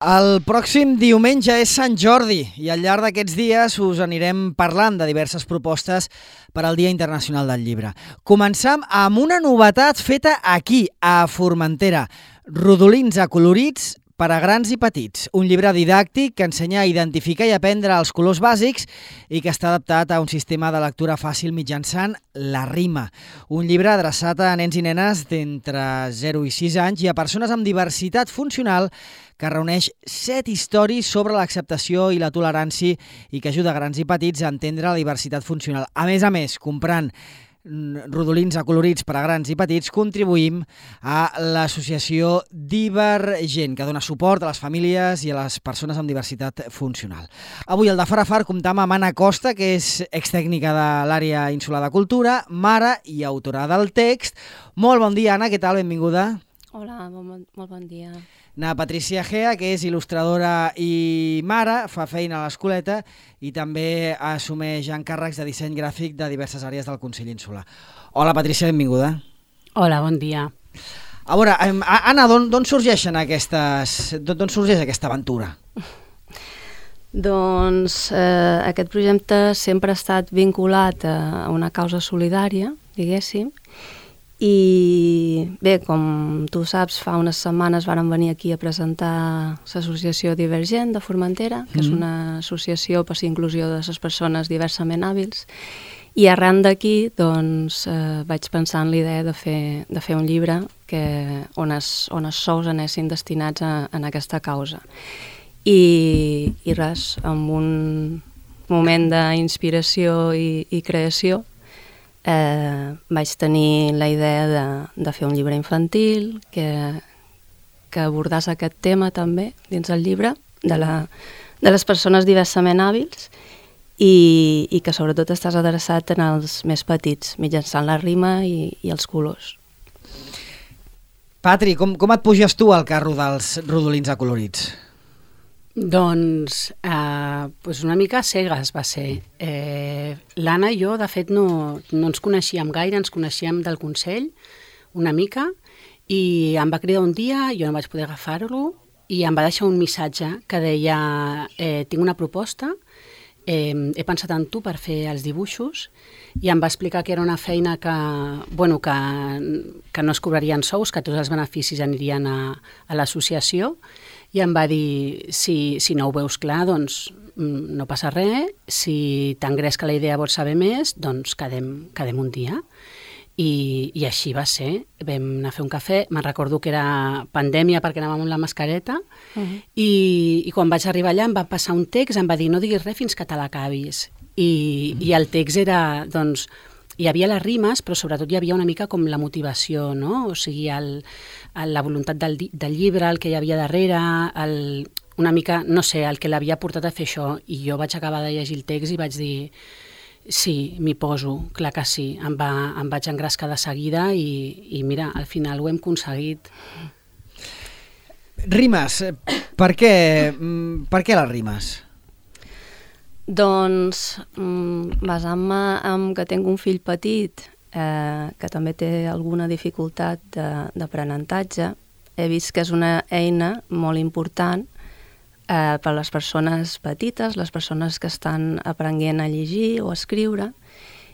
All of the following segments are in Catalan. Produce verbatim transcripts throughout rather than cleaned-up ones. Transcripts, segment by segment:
El pròxim diumenge és Sant Jordi i al llarg d'aquests dies us anirem parlant de diverses propostes per al Dia Internacional del Llibre. Començam amb una novetat feta aquí, a Formentera. Rodolins acolorits per a grans i petits. Un llibre didàctic que ensenya a identificar i aprendre els colors bàsics i que està adaptat a un sistema de lectura fàcil mitjançant la rima. Un llibre adreçat a nens i nenes d'entre zero i sis anys i a persones amb diversitat funcional que reuneix set històries sobre l'acceptació i la tolerància i que ajuda a grans i petits a entendre la diversitat funcional. A més a més, comprant rodolins acolorits per a grans i petits, contribuïm a l'associació Divergent, que dona suport a les famílies i a les persones amb diversitat funcional. Avui al de Far a Far comptam amb Anna Costa, que és extècnica de l'àrea insular de cultura, mare i autora del text. Molt bon dia, Anna, què tal? Benvinguda. Hola, bon, molt bon dia. Na Patricia Gea, que és il·lustradora i mare, fa feina a l'escoleta i també assumeix encàrrecs de disseny gràfic de diverses àrees del Consell Insular. Hola, Patricia, benvinguda. Hola, bon dia. A veure, Anna, d'on sorgeixen aquestes... d'on sorgeix aquesta aventura? Doncs eh, aquest projecte sempre ha estat vinculat a una causa solidària, diguéssim, i bé, com tu saps, fa unes setmanes vàrem venir aquí a presentar l'associació Divergent de Formentera, que mm. és una associació per l'inclusió de les persones diversament hàbils, i arran d'aquí doncs, eh, vaig pensar en l'idea de fer, de fer un llibre que, on, es, on els sous anessin destinats a, a aquesta causa. I, i res, amb un moment d'inspiració i, i creació, Eh, vaig tenir la idea de, de fer un llibre infantil que, que abordàs aquest tema també dins el llibre de, la, de les persones diversament hàbils i, i que sobretot estàs adreçat en els més petits mitjançant la rima i, i els colors. Patri, com, com et puges tu al carro dels rodolins acolorits? Doncs eh, pues una mica cegues va ser. Eh, L'Anna i jo, de fet, no, no ens coneixíem gaire, ens coneixíem del Consell una mica, i em va cridar un dia, jo no vaig poder agafar-lo, i em va deixar un missatge que deia eh, tinc una proposta, eh, he pensat en tu per fer els dibuixos, i em va explicar que era una feina que, bueno, que, que no es cobrarien sous, que tots els beneficis anirien a, a l'associació, i em va dir, si, si no ho veus clar, doncs no passa res, si t'engresca la idea vols saber més, doncs quedem, quedem un dia. I, I així va ser, vam anar a fer un cafè, me'n recordo que era pandèmia perquè anàvem amb la mascareta, uh-huh. i, i quan vaig arribar allà em va passar un text, em va dir no diguis res fins que te l'acabis. I, uh-huh. I el text era, doncs, hi havia les rimes, però sobretot hi havia una mica com la motivació, no? O sigui, el, el, la voluntat del, del llibre, el que hi havia darrere, el, una mica, no sé, el que l'havia portat a fer això. I jo vaig acabar de llegir el text i vaig dir, sí, m'hi poso, clar que sí. Em, va, em vaig engrescar de seguida i, i mira, al final ho hem aconseguit. Rimes, per què, per què les rimes? Doncs, basant-me en que tinc un fill petit eh, que també té alguna dificultat d'aprenentatge, he vist que és una eina molt important eh, per a les persones petites, les persones que estan aprenent a llegir o a escriure,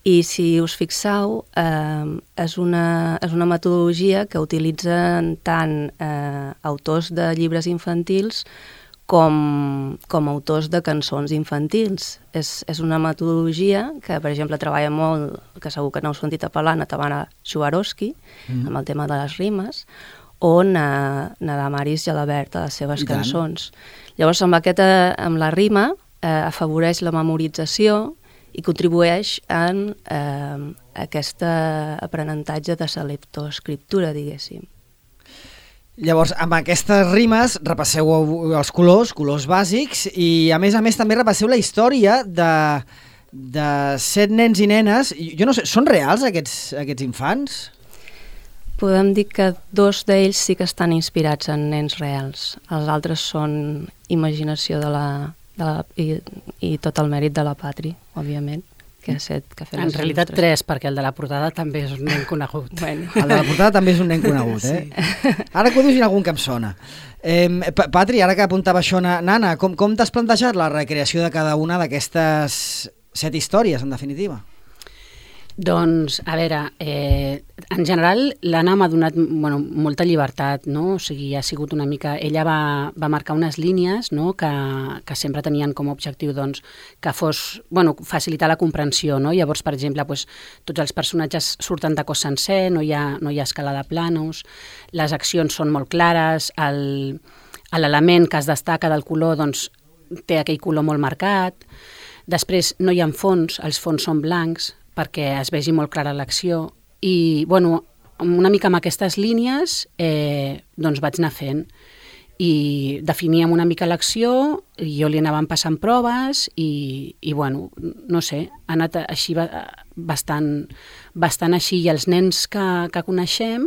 i si us fixeu, eh, és, una, és una metodologia que utilitzen tant eh, autors de llibres infantils Com, com autors de cançons infantils. És, és una metodologia que, per exemple, treballa molt, que segur que n'heu sentit a parlar, na Tamara Swarovski, mm. amb el tema de les rimes, o na, na Damaris Gelabert, a les seves I cançons. Tant. Llavors, amb, aquesta, amb la rima, eh, afavoreix la memorització i contribueix en eh, aquest aprenentatge de la leptoescriptura, diguéssim. Llavors, amb aquestes rimes repasseu els colors, colors bàsics, i a més a més també repasseu la història de, de set nens i nenes. Jo no sé, són reals aquests, aquests infants? Podem dir que dos d'ells sí que estan inspirats en nens reals. Els altres són imaginació de la, de la, i, i tot el mèrit de la Patri, òbviament. que ha set, que ha fet En realitat tres, perquè el de la portada també és un nen conegut. Bueno. El de la portada també és un nen conegut, eh? Sí. Ara que ho dius hi ha algun que em sona. Eh, Patri, ara que apuntava això, Nana, com, com t'has plantejat la recreació de cada una d'aquestes set històries, en definitiva? Doncs, a veure, eh, en general l'Anna m'ha donat bueno, molta llibertat, no? O sigui, ha sigut una mica... Ella va, va marcar unes línies, no? que, que sempre tenien com a objectiu doncs, que fos, bueno, facilitar la comprensió, no? Llavors, per exemple, doncs, tots els personatges surten de cos sencer, no hi ha, no hi ha escala de planos, les accions són molt clares, el, l'element que es destaca del color doncs, té aquell color molt marcat, després no hi ha fons, els fons són blancs, perquè es vegi molt clara l'acció. I, bueno, una mica amb aquestes línies eh, doncs vaig anar fent. I definíem una mica l'acció, i jo li anàvem passant proves i, i bueno, no sé, ha anat així bastant, bastant així. I els nens que, que coneixem,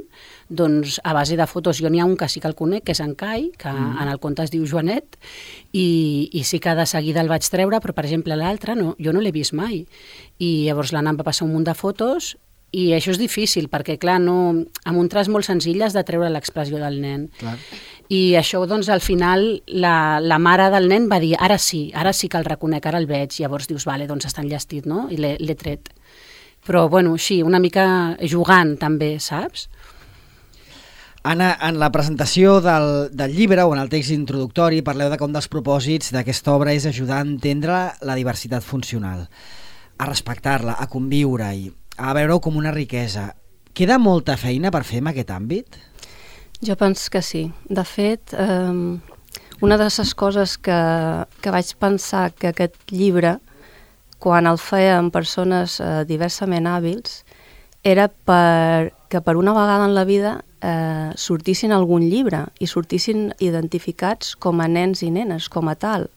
doncs a base de fotos, jo n'hi ha un que sí que el conec, que és en Kai, que mm. en el conte es diu Joanet, i, i sí que de seguida el vaig treure, però per exemple l'altre no, jo no l'he vist mai. I llavors l'Anna em va passar un munt de fotos i això és difícil, perquè clar, no, amb un traç molt senzill has de treure l'expressió del nen. Clar. I això, doncs, al final, la, la mare del nen va dir, ara sí, ara sí que el reconec, ara el veig. Llavors dius, vale, doncs està enllestit, no? I l'he tret. Però, bueno, sí, una mica jugant també, saps? Anna, en la presentació del, del llibre o en el text introductori parleu de que un dels propòsits d'aquesta obra és ajudar a entendre la diversitat funcional, a respectar-la, a conviure-hi, a veure-ho com una riquesa. Queda molta feina per fer en aquest àmbit? Jo penso que sí. De fet, eh, una de les coses que, que vaig pensar que aquest llibre, quan el feia amb persones eh, diversament hàbils, era per, que per una vegada en la vida eh, sortissin algun llibre i sortissin identificats com a nens i nenes, com a tal.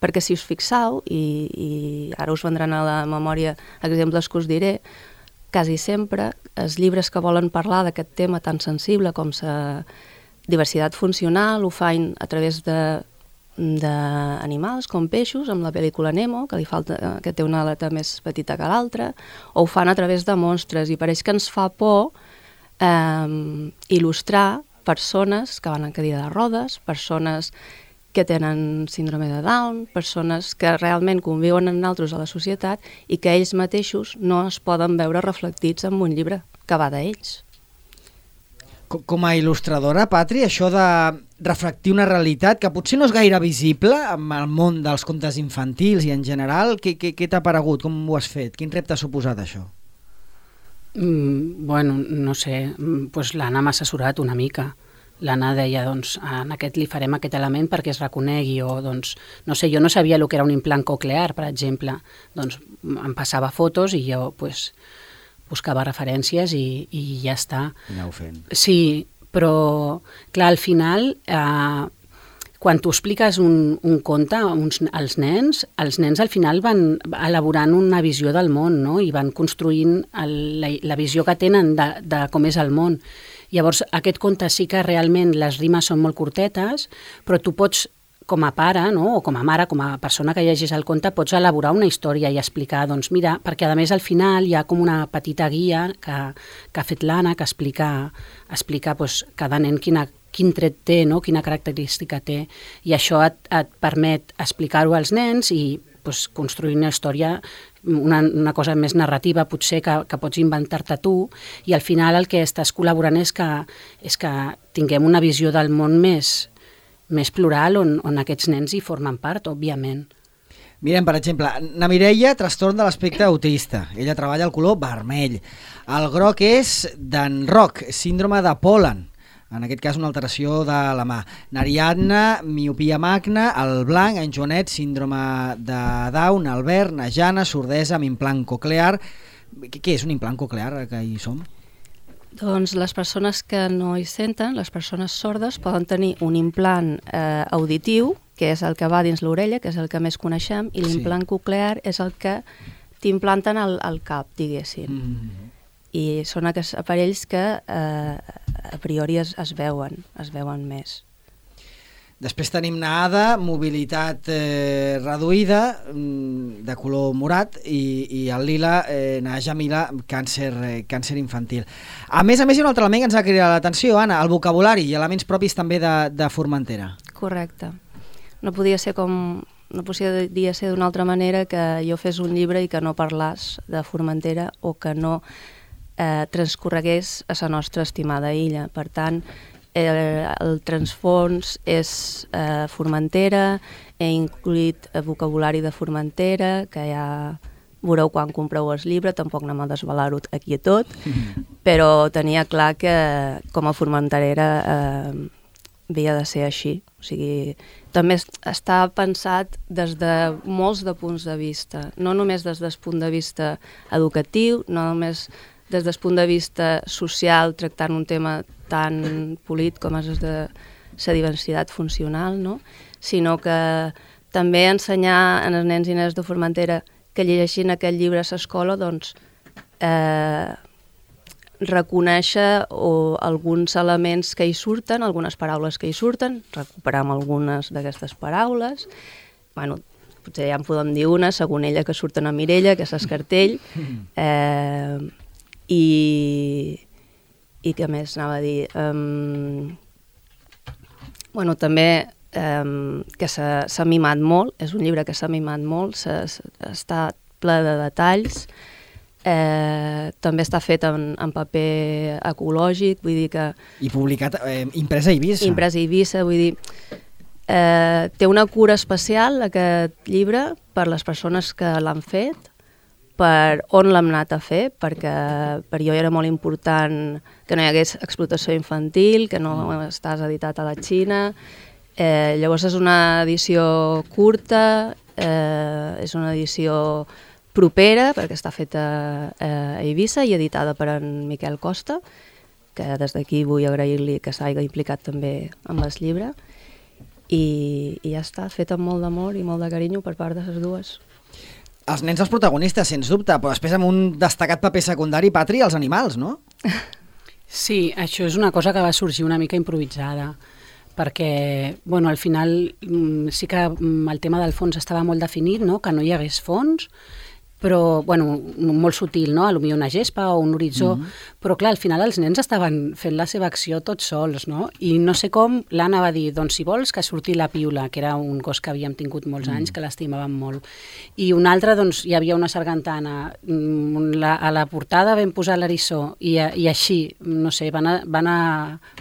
Perquè si us fixau, i, i ara us vendran a la memòria exemples que us diré, quasi sempre els llibres que volen parlar d'aquest tema tan sensible com la diversitat funcional ho fan a través de d'animals com peixos, amb la pel·lícula Nemo, que li falta, que té una aleta més petita que l'altra, o ho fan a través de monstres, i pareix que ens fa por eh, il·lustrar persones que van en cadira de rodes, persones que tenen síndrome de Down, persones que realment conviuen amb nosaltres a la societat i que ells mateixos no es poden veure reflectits en un llibre que va d'ells. Com a il·lustradora, Patri, això de reflectir una realitat que potser no és gaire visible en el món dels contes infantils i en general, què, què, què t'ha paregut? Com ho has fet? Quin repte ha suposat això? Mm, bueno, no sé, pues l'Anna m'ha assessorat una mica. L'Anna deia, doncs, en aquest li farem aquest element perquè es reconegui, o, doncs, no sé, jo no sabia el que era un implant coclear, per exemple. Doncs em passava fotos i jo, pues, buscava referències i, i ja està. I aneu fent. Sí, però, clar, al final, eh, quan tu expliques un, un conte uns, als nens, els nens al final van elaborant una visió del món, no? I van construint el, la, la visió que tenen de, de com és el món. Llavors, aquest conte sí que realment les rimes són molt curtetes, però tu pots, com a pare, no? O com a mare, com a persona que llegeix el conte, pots elaborar una història i explicar, doncs mira, perquè a més al final hi ha com una petita guia que, que ha fet l'Anna, que explica, explica doncs, cada nen quina, quin tret té, no? Quina característica té, i això et, et permet explicar-ho als nens i doncs, construir una història, una, una cosa més narrativa potser que, que pots inventar-te tu, i al final el que estàs col·laborant és que, és que tinguem una visió del món més, més plural on, on aquests nens hi formen part, òbviament. Mirem, per exemple, na Mireia, trastorn de l'aspecte autista. Ella treballa el color vermell. El groc és d'en Roc, síndrome de Pol·len. En aquest cas una alteració de la mà. N'Ariadna, miopia magna, el blanc, en Joanet, síndrome de Down, el verd, na Jana, sordesa amb implant coclear. Què és un implant coclear, que hi som? Doncs les persones que no hi senten, les persones sordes, poden tenir un implant eh, auditiu, que és el que va dins l'orella, que és el que més coneixem, i l'implant sí. coclear és el que t'implanten al, al cap, diguéssim. Mm-hmm. I són aquests aparells que eh, a priori es, es veuen, es veuen més. Després tenim Naada, mobilitat eh, reduïda, de color morat, i, i el lila, eh, Najamila, càncer, eh, càncer infantil. A més a més, hi ha un altre element que ens ha cridat l'atenció, Anna, el vocabulari i elements propis també de, de Formentera. Correcte. No podia ser com... No podia ser d'una altra manera que jo fes un llibre i que no parlàs de Formentera o que no eh, transcorregués a la nostra estimada illa. Per tant, el, el transfons és eh, Formentera, he incluït el vocabulari de Formentera, que ja veureu quan compreu el llibre, tampoc anem a desvelar-ho aquí a tot, però tenia clar que com a formenterera eh, havia de ser així. O sigui, també està pensat des de molts de punts de vista, no només des del punt de vista educatiu, no només des del punt de vista social, tractant un tema tan polit com és de la diversitat funcional, no? Sinó que també ensenyar als nens i nenes de Formentera que llegeixin aquest llibre a l'escola, doncs, eh, reconèixer o alguns elements que hi surten, algunes paraules que hi surten, recuperar algunes d'aquestes paraules. Bueno, potser ja en podem dir una, segons ella, que surten a Mirella, que és Escartell, eh, i, i què més anava a dir? Um, bueno, també um, que s'ha mimat molt, és un llibre que s'ha mimat molt, està ple de detalls. Eh, també està fet en, en paper ecològic, vull dir que... I publicat, eh, imprès a Eivissa. Imprès a Eivissa, vull dir... Eh, té una cura especial, aquest llibre, per les persones que l'han fet, per on l'hem anat a fer, perquè per jo era molt important que no hi hagués explotació infantil, que no estàs editat a la Xina. Eh, llavors és una edició curta, eh, és una edició propera, perquè està feta a Eivissa i editada per en Miquel Costa, que des d'aquí vull agrair-li que s'hagi implicat també amb el llibre, i, i ja està, feta amb molt d'amor i molt de carinyo per part de les dues. Els nens els protagonistes, sens dubte, però després amb un destacat paper secundari, Patri, els animals, no? Sí, això és una cosa que va sorgir una mica improvisada, perquè, bueno, al final sí que el tema del fons estava molt definit, no?, que no hi hagués fons, però, bueno, molt sutil, no?, potser una gespa o un horitzó, mm-hmm. però clar, al final els nens estaven fent la seva acció tots sols, no?, i no sé com l'Anna va dir, doncs si vols que surti la Piula, que era un gos que havíem tingut molts anys, mm. que l'estimàvem molt, i un altre, doncs hi havia una sargantana, la, a la portada vam posar l'eriçó, i, i així, no sé, van, a, van, a,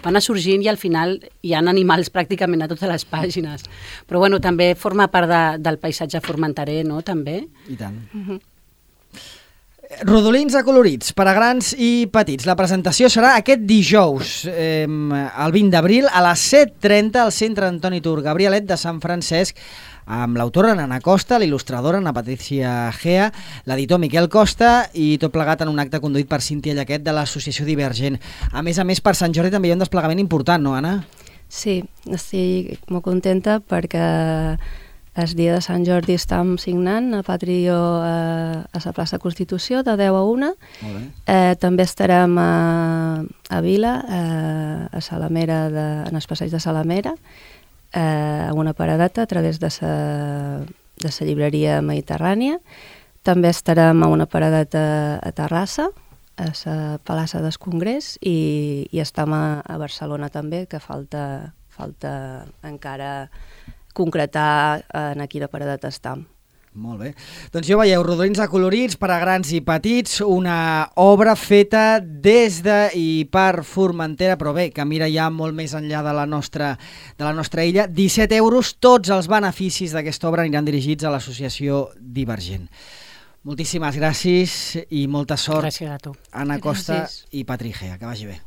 van a sorgint i al final hi ha animals pràcticament a totes les pàgines, però bueno, també forma part de, del paisatge formenterer, no?, també. I tant. Mm-hmm. Rodolins acolorits per a grans i petits. La presentació serà aquest dijous, eh, el vint d'abril, a les set trenta al Centre Antoni Tur Gabrielet de Sant Francesc, amb l'autora Nana Costa, l'il·lustradora Ana Patricia Gea, l'editor Miquel Costa, i tot plegat en un acte conduït per Cíntia Llaquet de l'Associació Divergent. A més a més, per Sant Jordi també hi ha un desplegament important, no, Anna? Sí, estic molt contenta perquè el dia de Sant Jordi estem signant a Patri i jo a, a la plaça Constitució de deu a una. Molt bé. Eh, també estarem a, a Vila, eh, a Salamera, de, en el passeig de Salamera, eh, a una paradeta a través de la de la llibreria Mediterrània. També estarem a una paradeta a Terrassa, a la plaça del Congrés, i, i estem a, a Barcelona també, que falta, falta encara concretar en a quina paradeta estem. Molt bé. Doncs jo veieu, Rodolins acolorits per a grans i petits, una obra feta des de i per Formentera, però bé, que mira ja molt més enllà de la nostra, de la nostra illa. disset euros, tots els beneficis d'aquesta obra aniran dirigits a l'associació Divergent. Moltíssimes gràcies i molta sort. Gràcies a tu. Anna Costa Gràcies. i Patri Gea. Que vagi bé.